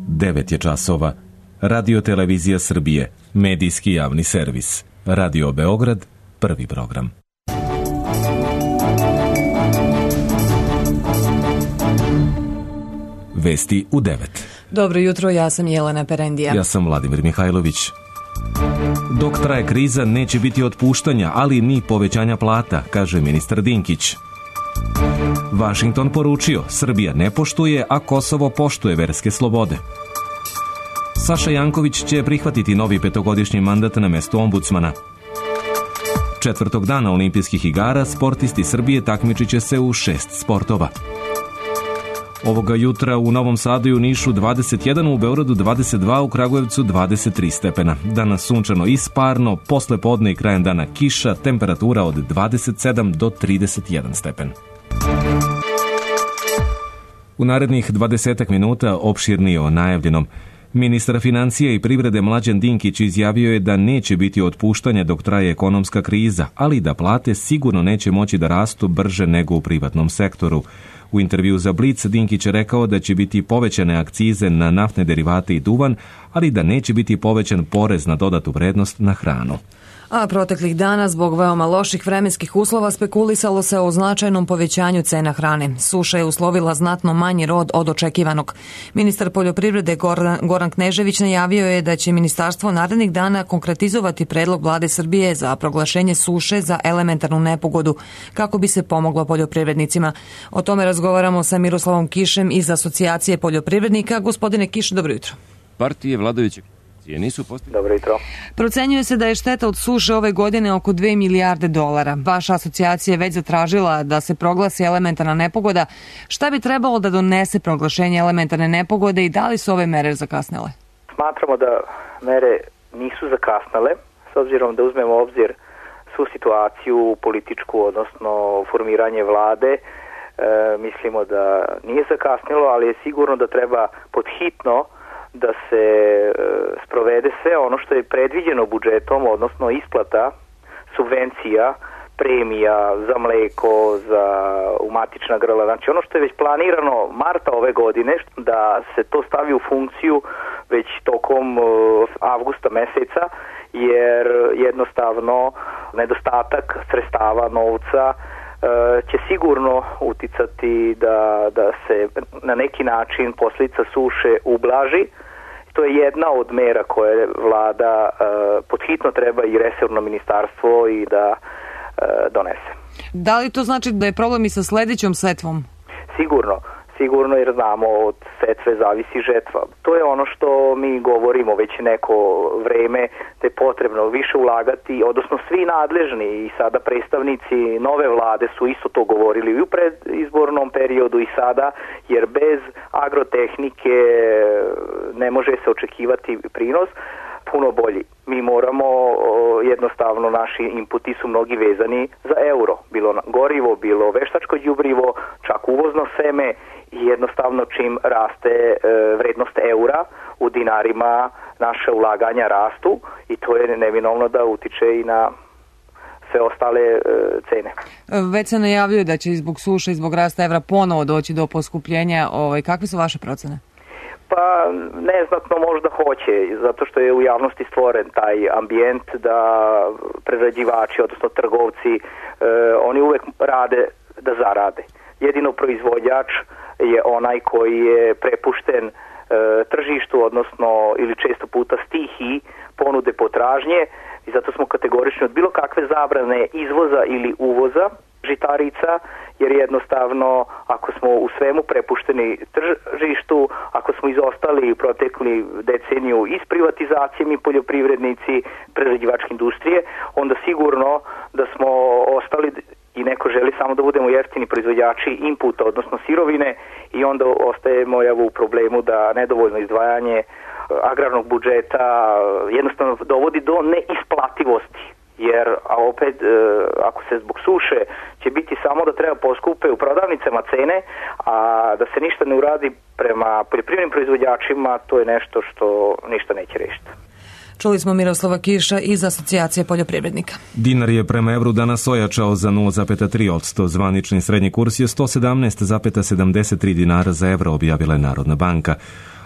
9 je časova. Radio Televizija Srbije, medijski javni servis. Radio Beograd, prvi program. Vesti u 9. Dobro jutro, ja sam Jelena Perendija. Ja sam Vladimir Mihajlović. Dok traje kriza, neće biti otpuštanja, ali ni povećanja plata, kaže ministar Dinkić. Vašington poručio, Srbija ne poštuje, a Kosovo poštuje verske slobode. Saša Janković će prihvatiti novi 5-godišnji mandat na mestu ombudsmana. 4. dana olimpijskih igara sportisti Srbije takmičit će se u 6 sportova. Ovoga jutra u Novom Sadu i u Nišu 21, u Beogradu 22, u Kragujevcu 23 stepena. Danas sunčano i sparno, posle podne i krajem dana kiša, temperatura od 27 do 31 stepen. U narednih 20 minuta opširnije o najavljenom. Ministar financija i privrede Mlađan Dinkić izjavio je da neće biti otpuštanja dok traje ekonomska kriza, ali da plate sigurno neće moći da rastu brže nego u privatnom sektoru. U intervju za Blic Dinkić je rekao da će biti povećane akcize na naftne derivate i duvan, ali da neće biti povećan porez na dodatu vrednost na hranu. A proteklih dana, zbog veoma loših vremenskih uslova, spekulisalo se o značajnom povećanju cena hrane. Suša je uslovila znatno manji rod od očekivanog. Ministar poljoprivrede Goran Knežević najavio je da će ministarstvo narednih dana konkretizovati predlog Vlade Srbije za proglašenje suše za elementarnu nepogodu, kako bi se pomoglo poljoprivrednicima. O tome razgovaramo sa Miroslavom Kišem iz Asocijacije poljoprivrednika. Gospodine Kiš, dobro jutro. Partije vladajuće nisu postigli. Dobro jutro. Procenjuje se da je šteta od suše ove godine oko 2 milijarde dolara. Vaša asocijacija je već zatražila da se proglasi elementarna nepogoda. Šta bi trebalo da donese proglašenje elementarne nepogode i da li su ove mere zakasnele? Smatramo da mere nisu zakasnele, s obzirom da uzmemo obzir svu situaciju političku, odnosno formiranje vlade. Mislimo da nije zakasnilo, ali je sigurno da treba podhitno da se sprovede sve ono što je predviđeno budžetom, odnosno isplata subvencija, premija za mleko, za umatična grla. Znači ono što je već planirano marta ove godine, da se to stavi u funkciju već tokom avgusta meseca, jer jednostavno nedostatak sredstava, novca, će sigurno uticati da se na neki način posljedica suše ublaži. To je jedna od mera koje vlada podhitno treba i resorno ministarstvo i da donese. Da li to znači da je problem i sa sledećom setvom? Sigurno, jer znamo od setve zavisi žetva. To je ono što mi govorimo već neko vreme, da je potrebno više ulagati, odnosno svi nadležni i sada predstavnici nove vlade su isto to govorili i u predizbornom periodu i sada, jer bez agrotehnike ne može se očekivati prinos puno bolji. Mi moramo, jednostavno naši inputi su mnogi vezani za euro, bilo gorivo, bilo veštačko đubrivo, čak uvozno seme, i jednostavno čim raste vrednost eura u dinarima, naše ulaganja rastu i to je neminovno da utiče i na sve ostale cene. Već se najavljuje da će zbog suše i zbog rasta evra ponovo doći do poskupljenja. Kakve su vaše procene? Pa neznatno možda hoće, zato što je u javnosti stvoren taj ambijent da prerađivači, odnosno trgovci, oni uvek rade da zarade. Jedino proizvođač je onaj koji je prepušten tržištu, odnosno ili često puta stihiji ponude potražnje, i zato smo kategorični od bilo kakve zabrane izvoza ili uvoza žitarica, jer jednostavno ako smo u svemu prepušteni tržištu, ako smo izostali u protekli deceniju iz privatizacije mi poljoprivrednici, prerađivačke industrije, onda sigurno da smo ostali i neko želi samo da budemo jeftini proizvođači inputa, odnosno sirovine, i onda ostajemo u problemu da nedovoljno izdvajanje agrarnog budžeta jednostavno dovodi do neisplativosti. Jer opet, ako se zbog suše će biti samo da treba poskupe u prodavnicama cene, a da se ništa ne uradi prema poljoprivrednim proizvođačima, to je nešto što ništa neće rešiti. Čuli smo Miroslava Kiša iz Asocijacije poljoprivrednika. Dinar je prema evru danas ojačao za 0,3%. Zvanični srednji kurs je 117,73 dinara za evro, objavila je Narodna banka.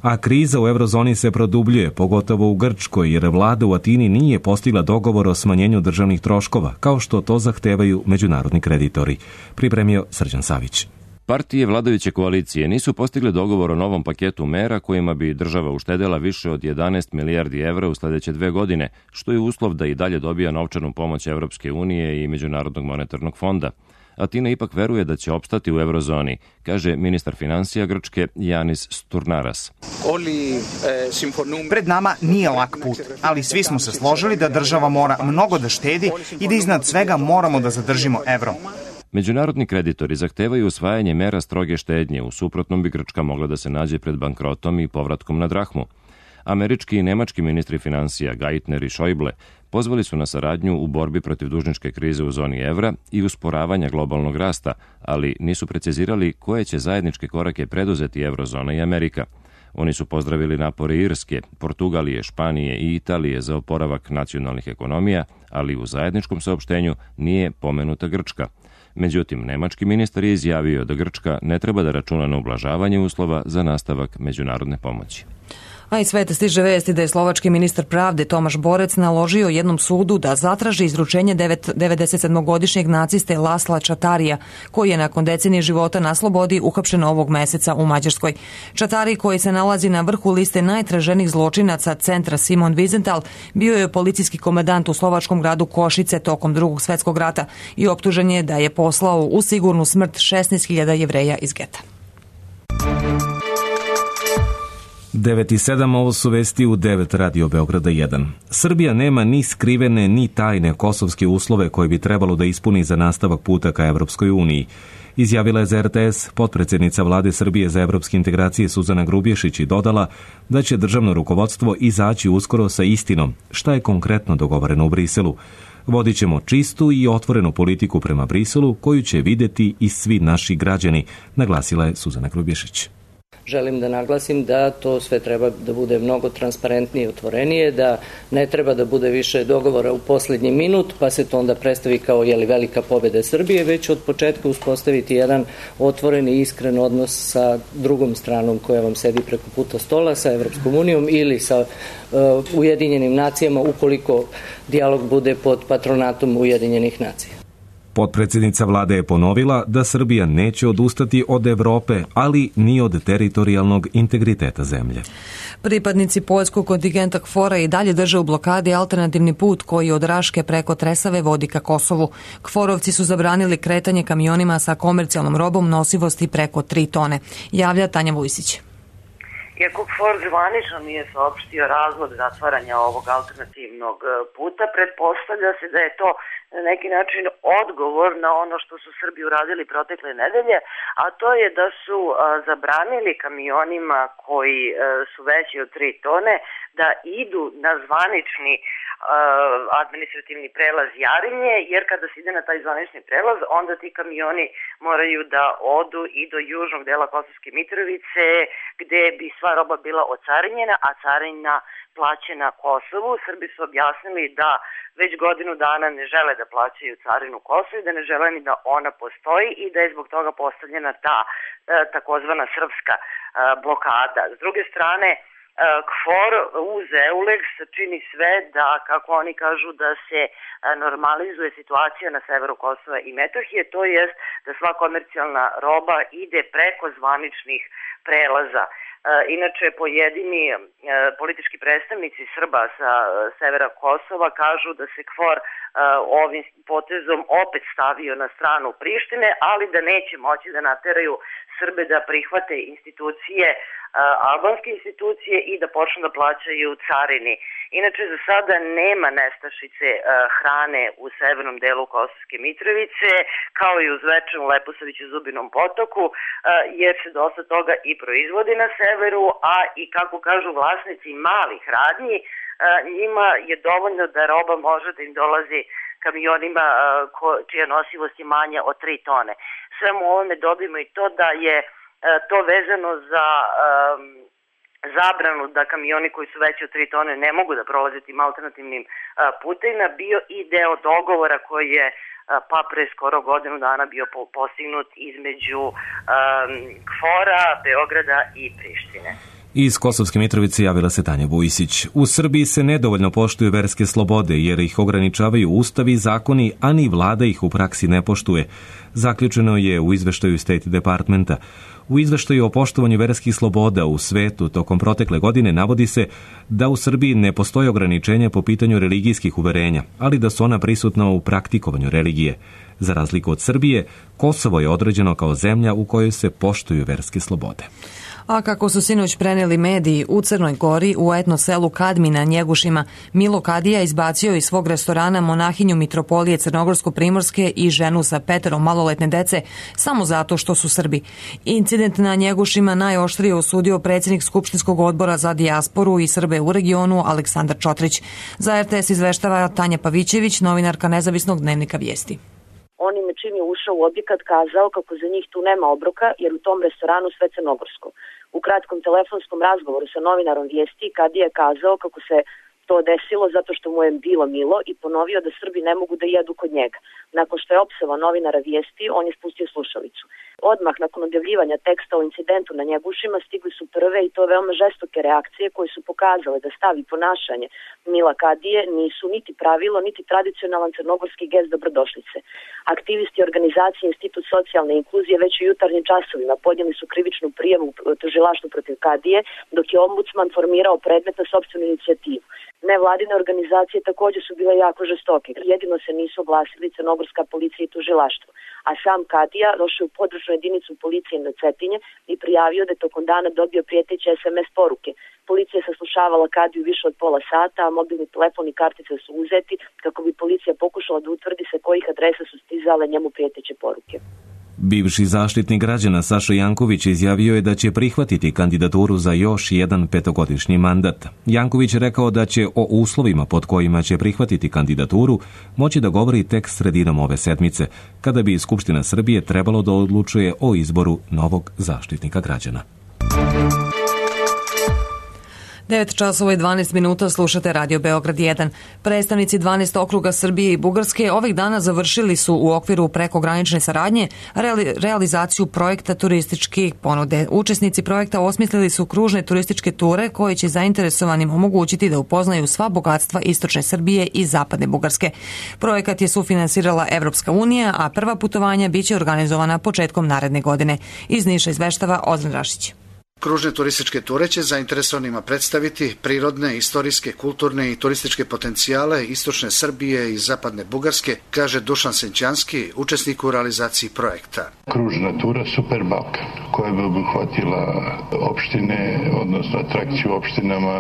A kriza u eurozoni se produbljuje, pogotovo u Grčkoj, jer vlada u Atini nije postigla dogovor o smanjenju državnih troškova, kao što to zahtevaju međunarodni kreditori. Pripremio Srđan Savić. Partije vladajuće koalicije nisu postigle dogovor o novom paketu mera kojima bi država uštedela više od 11 milijardi evra u sledeće 2 godine, što je uslov da i dalje dobija novčanu pomoć Evropske unije i Međunarodnog monetarnog fonda. Atina ipak veruje da će opstati u eurozoni, kaže ministar finansija Grčke Janis Sturnaras. Pred nama nije lak put, ali svi smo se složili da država mora mnogo da štedi i da iznad svega moramo da zadržimo evro. Međunarodni kreditori zahtevaju usvajanje mera stroge štednje, u suprotnom bi Grčka mogla da se nađe pred bankrotom i povratkom na drahmu. Američki i nemački ministri finansija Geithner i Schäuble pozvali su na saradnju u borbi protiv dužničke krize u zoni evra i usporavanja globalnog rasta, ali nisu precizirali koje će zajedničke korake preduzeti eurozona i Amerika. Oni su pozdravili napore Irske, Portugalije, Španije i Italije za oporavak nacionalnih ekonomija, ali u zajedničkom saopštenju nije pomenuta Grčka. Međutim, nemački ministar je izjavio da Grčka ne treba da računa na ublažavanje uslova za nastavak međunarodne pomoći. A iz sveta stiže vesti da je slovački ministar pravde Tomaš Borec naložio jednom sudu da zatraži izručenje 97-godišnjeg naciste Lasla Čatarija, koji je nakon decenije života na slobodi uhapšen ovog meseca u Mađarskoj. Čatari, koji se nalazi na vrhu liste najtraženijih zločinaca centra Simon Wiesenthal, bio je policijski komandant u slovačkom gradu Košice tokom Drugog svetskog rata i optužen je da je poslao u sigurnu smrt 16.000 Jevreja iz geta. 9:07, ovo su vesti u 9 Radio Beograda 1. Srbija nema ni skrivene ni tajne kosovske uslove koje bi trebalo da ispuni za nastavak puta ka Evropskoj uniji. Izjavila je za RTS potpredsjednica vlade Srbije za evropske integracije Suzana Grubješić i dodala da će državno rukovodstvo izaći uskoro sa istinom šta je konkretno dogovoreno u Briselu. Vodit ćemo čistu i otvorenu politiku prema Briselu koju će videti i svi naši građani, naglasila je Suzana Grubješić. Želim da naglasim da to sve treba da bude mnogo transparentnije i otvorenije, da ne treba da bude više dogovora u posljednji minut, pa se to onda predstavi kao velika pobjeda Srbije, već od početka uspostaviti jedan otvoren i iskren odnos sa drugom stranom koja vam sedi preko puta stola, sa Evropskom unijom ili sa Ujedinjenim nacijama, ukoliko dijalog bude pod patronatom Ujedinjenih nacija. Potpredsjednica vlade je ponovila da Srbija neće odustati od Evrope, ali ni od teritorijalnog integriteta zemlje. Pripadnici poljskog kontingenta KFOR-a i dalje drže u blokadi alternativni put koji od Raške preko Tresave vodi ka Kosovu. KFOR-ovci su zabranili kretanje kamionima sa komercijalnom robom nosivosti preko 3 tone. Javlja Tanja Vujsić. Iako KFOR zvanično nije saopštio razlog zatvaranja ovog alternativnog puta, pretpostavlja se da je to na neki način odgovor na ono što su Srbi uradili protekle nedelje, a to je da su zabranili kamionima koji su veći od 3 tone da idu na zvanični administrativni prelaz Jarinje, jer kada se ide na taj zvanični prelaz, onda ti kamioni moraju da odu i do južnog dela Kosovske Mitrovice, gde bi sva roba bila ocarinjena, a carina plaćena Kosovu. Srbi su objasnili da već godinu dana ne žele da plaćaju carinu Kosovu i da ne žele ni da ona postoji i da je zbog toga postavljena ta takozvana srpska blokada. S druge strane, KFOR uz EULEX čini sve da, kako oni kažu, da se normalizuje situacija na severu Kosova i Metohije, to jest da sva komercijalna roba ide preko zvaničnih prelaza. Inače, pojedini politički predstavnici Srba sa severa Kosova kažu da se KFOR ovim potezom opet stavio na stranu Prištine, ali da neće moći da nateraju Srbe da prihvate institucije, albanske institucije i da počnu da plaćaju carini. Inače, za sada nema nestašice hrane u severnom delu Kosovske Mitrovice, kao i u Zvečanu, Leposaviću, Zubinom Potoku, jer se dosta toga i proizvodi na severu, a i, kako kažu vlasnici malih radnji, njima je dovoljno da roba može da im dolazi kamionima čija nosivost je manja od 3 tone. Svemu ovome dobimo i to da je to vezano za zabranu da kamioni koji su veći od 3 tone ne mogu da prolaze tim alternativnim putevima bio i deo dogovora koji je pa pre skoro godinu dana bio postignut između KFOR-a, Beograda i Prištine. Iz Kosovske Mitrovice javila se Tanja Vujisić. U Srbiji se nedovoljno poštuju verske slobode jer ih ograničavaju ustavi i zakoni, a ni vlada ih u praksi ne poštuje. Zaključeno je u izveštaju State Departmenta. U izveštaju o poštovanju verskih sloboda u svetu tokom protekle godine navodi se da u Srbiji ne postoje ograničenja po pitanju religijskih uverenja, ali da su ona prisutna u praktikovanju religije. Za razliku od Srbije, Kosovo je određeno kao zemlja u kojoj se poštuju verske slobode. A kako su sinoć preneli mediji, u Crnoj Gori, u etno selu Kadmi na Njegušima, Milo Kadija izbacio iz svog restorana monahinju mitropolije Crnogorsko-Primorske i ženu sa 5 maloletne dece samo zato što su Srbi. Incident na Njegušima najoštrije osudio predsjednik Skupštinskog odbora za dijasporu i Srbe u regionu Aleksandar Čotrić. Za RTS izveštava Tanja Pavićević, novinarka Nezavisnog dnevnika Vijesti. On im čim je ušao u objekat kazao kako za njih tu nema obroka jer u tom restoranu sve crnogorsko. U kratkom telefonskom razgovoru sa novinarom Vijesti Kadija je kazao kako se to desilo zato što mu je bilo milo i ponovio da Srbi ne mogu da jedu kod njega. Nakon što je opsovao novinara Vijesti, on je spustio slušalicu. Odmah nakon objavljivanja teksta o incidentu na Njegušima stigli su prve i to veoma žestoke reakcije koje su pokazale da stav i ponašanje Mila Kadije nisu niti pravilo, niti tradicionalan crnogorski gest dobrodošlice. Aktivisti organizacije Institut socijalne inkluzije već u jutarnjim časovima podnijeli su krivičnu prijavu tužilaštvu protiv Kadije, dok je ombudsman formirao predmet na sopstvenu inicijativu. Nevladine organizacije također su bile jako žestoke. Jedino se nisu oglasili crnogorska policija i tužilaštvo. A sam Kadija došao u područnu jedinicu policije na Cetinje i prijavio da je tokom dana dobio prijeteće SMS poruke. Policija je saslušavala Kadiju više od pola sata, a mobilni telefon i kartice su uzeti kako bi policija pokušala da utvrdi sa kojih adresa su stizale njemu prijeteće poruke. Bivši zaštitnik građana Saša Janković izjavio je da će prihvatiti kandidaturu za još jedan 5-godišnji mandat. Janković je rekao da će o uslovima pod kojima će prihvatiti kandidaturu moći da govori tek sredinom ove sedmice, kada bi Skupština Srbije trebalo da odlučuje o izboru novog zaštitnika građana. 9 časova i 12 minuta slušate Radio Beograd 1. Predstavnici 12 okruga Srbije i Bugarske ovih dana završili su u okviru prekogranične saradnje realizaciju projekta turističkih ponude. Učesnici projekta osmislili su kružne turističke ture koje će zainteresovanim omogućiti da upoznaju sva bogatstva istočne Srbije i zapadne Bugarske. Projekat je sufinansirala Evropska unija, a prva putovanja biće organizovana početkom naredne godine. Iz Niša izveštava Ozren Rašić. Kružne turističke ture će zainteresovanima predstaviti prirodne, istorijske, kulturne i turističke potencijale istočne Srbije i zapadne Bugarske, kaže Dušan Senćanski, učesnik u realizaciji projekta. Kružna tura Super Balkan, koja bi obuhvatila opštine, odnosno atrakciju opštinama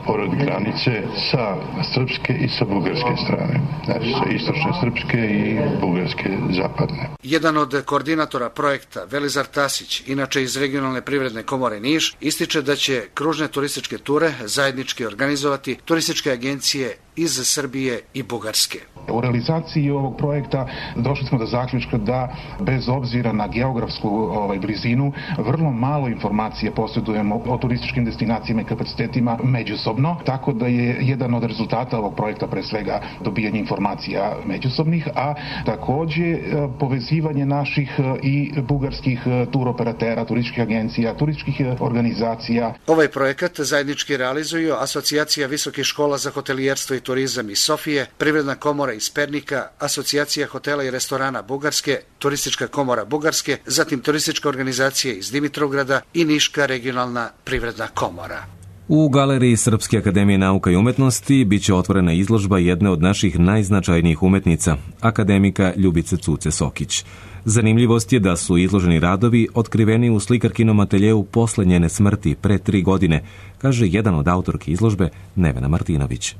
pored granice sa srpske i sa bugarske strane. Znači sa istočne srpske i bugarske zapadne. Jedan od koordinatora projekta, Velizar Tasić, inače iz regionalne privredne komore Niš, ističe da će kružne turističke ture zajednički organizovati turističke agencije iz Srbije i Bugarske. U realizaciji ovog projekta došli smo do zaključka da bez obzira na geografsku blizinu vrlo malo informacije posjedujemo o turističkim destinacijama i kapacitetima međusobno, tako da je jedan od rezultata ovog projekta pre svega dobijanje informacija međusobnih, a takođe povezivanje naših i bugarskih turoperatera, turističkih agencija, turističkih organizacija. Ovaj projekat zajednički realizuju Asocijacija visokih škola za hotelijerstvo i turizam iz Sofije, Privredna komora iz Pernika, Asocijacija hotela i restorana Bugarske, Turistička komora Bugarske, zatim Turistička organizacija iz Dimitrovgrada i Niška regionalna privredna komora. U Galeriji Srpske akademije nauka i umetnosti biće otvorena izložba jedne od naših najznačajnijih umetnica, akademika Ljubice Cuce Sokić. Zanimljivost je da su izloženi radovi otkriveni u slikarkinom ateljeu posle njene smrti pre 3 godine, kaže jedan od autorki izložbe, Nevena Martinović.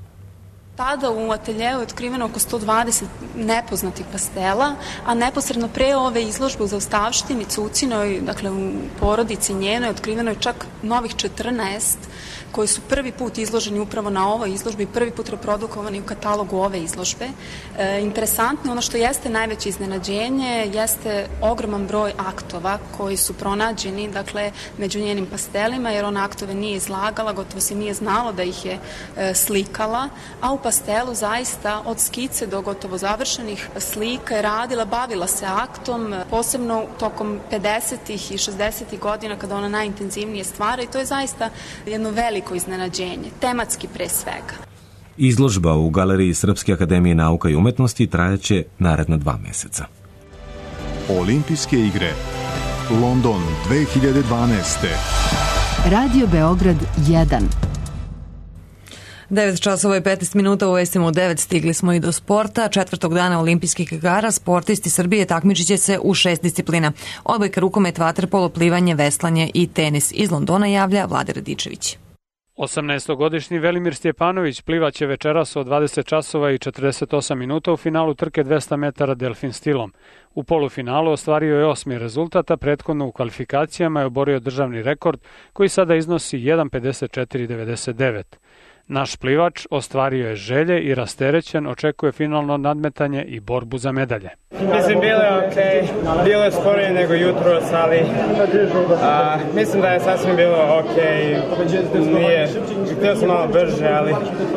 Tada u ateljeu je otkriveno oko 120 nepoznatih pastela, a neposredno pre ove izložbe u zaostavštini Cucinoj, dakle u porodici njenoj, otkriveno je čak novih 14 koji su prvi put izloženi upravo na ovoj izložbi, prvi put reprodukovani u katalogu ove izložbe. Interesantno, ono što jeste najveće iznenađenje, jeste ogroman broj aktova koji su pronađeni, dakle, među njenim pastelima, jer ona aktove nije izlagala, gotovo se nije znalo da ih je slikala, a u pastelu zaista od skice do gotovo završenih slika je radila, bavila se aktom, posebno tokom 50. i 60. godina kada ona najintenzivnije stvara i to je zaista jedno veliko iznenađenje, tematski pre svega. Izložba u Galeriji Srpske akademije nauka i umetnosti trajaće naredna 2 meseca. Olimpijske igre London 2012. Radio Beograd 1. 9 časova i 15 minuta u vestima u 9 stigli smo i do sporta. 4. dana olimpijskih igara sportisti Srbije takmičit će se u 6 disciplina. Odbojka, rukomet, vaterpolo, plivanje, veslanje i tenis. Iz Londona javlja Vlade Radičević. 18-godišnji Velimir Stjepanović plivaće večeras od 20 časova i 48 minuta u finalu trke 200 metara delfin stilom. U polufinalu ostvario je 8. rezultat, a prethodno u kvalifikacijama je oborio državni rekord koji sada iznosi 1.54.99. Naš plivač ostvario je želje i rasterećen očekuje finalno nadmetanje i borbu za medalje. Mislim, bilo je okej, bilo je sporije nego jutros, ali mislim da je sasvim bilo okej. Htio sam malo brže, ali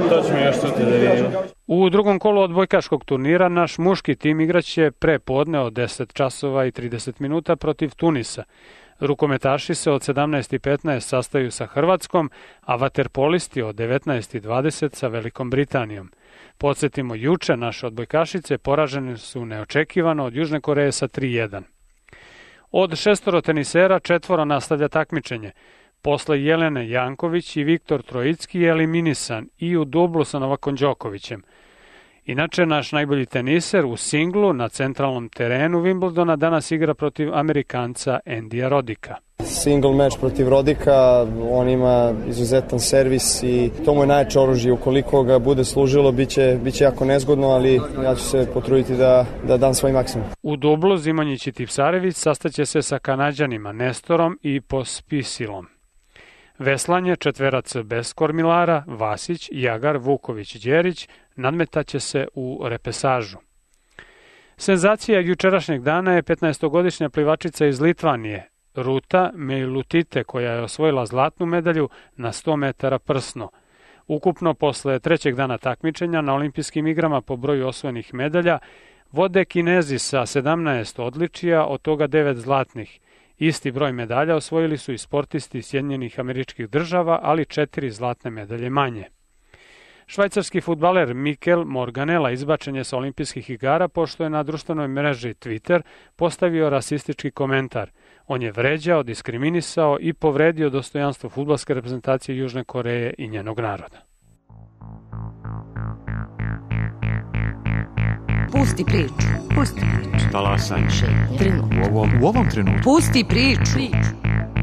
to ćemo još sutra da vidimo. U drugom kolu odbojkaškog turnira naš muški tim igraće pre podne od 10 časova i 30 minuta protiv Tunisa. Rukometaši se od 17:15 sastaju sa Hrvatskom, a vaterpolisti od 19:20 sa Velikom Britanijom. Podsjetimo, juče naše odbojkašice poražene su neočekivano od Južne Koreje sa 3:1. Od 6 tenisera 4 nastavlja takmičenje. Posle Jelene Janković i Viktor Trojicki je eliminisan i u dublu sa Novakom Đokovićem. Inače, naš najbolji teniser u singlu na centralnom terenu Wimbledona danas igra protiv Amerikanca Andyja Rodika. Single meč protiv Rodika, on ima izuzetan servis i to mu je najjače oružje. Ukoliko ga bude služilo, biće jako nezgodno, ali ja ću se potruditi da dam svoj maksimum. U dublu Zimonjić i Tipsarević sastaće se sa Kanađanima Nestorom i Pospisilom. Veslanje, četverac bez kormilara, Vasić, Jagar, Vuković, Đerić, nadmetaće se u repesažu. Senzacija jučerašnjeg dana je 15-godišnja plivačica iz Litvanije, Ruta Meilutite, koja je osvojila zlatnu medalju na 100 metara prsno. Ukupno, posle 3. dana takmičenja na olimpijskim igrama po broju osvojenih medalja, vode Kinezi sa 17 odličija, od toga 9 zlatnih. Isti broj medalja osvojili su i sportisti Sjedinjenih Američkih Država, ali 4 zlatne medalje manje. Švajcarski fudbaler Mikel Morganela izbačen je sa olimpijskih igara pošto je na društvenoj mreži Twitter postavio rasistički komentar. On je vređao, diskriminisao i povredio dostojanstvo fudbalske reprezentacije Južne Koreje i njenog naroda. Pusti priču. Pusti priču. Talasanje. U ovom trenutku. Pusti priču.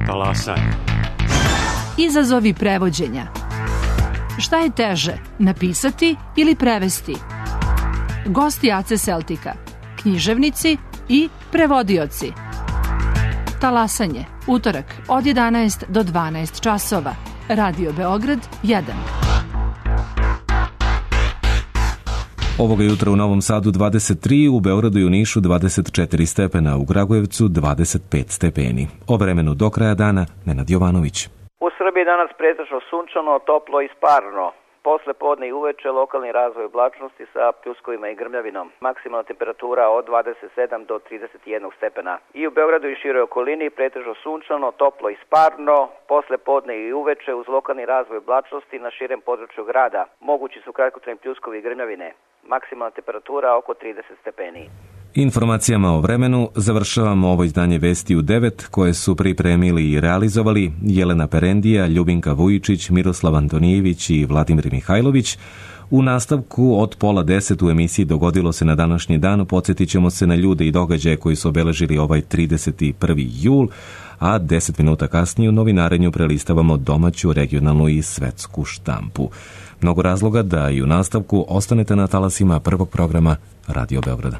Talasanje. Izazovi prevođenja. Šta je teže, napisati ili prevesti? Gosti AC Celtica, književnici i prevodioci. Talasanje, utorak od 11 do 12 časova. Radio Beograd 1. Ovoga jutra u Novom Sadu 23, u Beogradu i u Nišu 24 stepena, u Kragujevcu 25 stepeni. O vremenu do kraja dana, Nenad Jovanović. U Srbiji danas pretežno sunčano, toplo i sparno. Posle podne i uveče lokalni razvoj oblačnosti sa pljuskovima i grmljavinom. Maksimalna temperatura od 27 do 31 stepena. I u Beogradu i široj okolini pretežno sunčano, toplo i sparno. Posle podne i uveče uz lokalni razvoj oblačnosti na širem području grada. Mogući su kratkotrajni pljuskovi i grmljavine. Maksimalna temperatura oko 30 stepeni. Informacijama o vremenu završavamo ovo izdanje Vesti u 9 koje su pripremili i realizovali Jelena Perendija, Ljubinka Vujičić, Miroslav Antonijević i Vladimir Mihajlović. U nastavku od 9:30 u emisiji Dogodilo se na današnji dan podsjetit ćemo se na ljude i događaje koji su obeležili ovaj 31. jul, a 10 minuta kasnije u novinarenju prelistavamo domaću, regionalnu i svetsku štampu. Mnogo razloga da i u nastavku ostanete na talasima prvog programa Radio Beograda.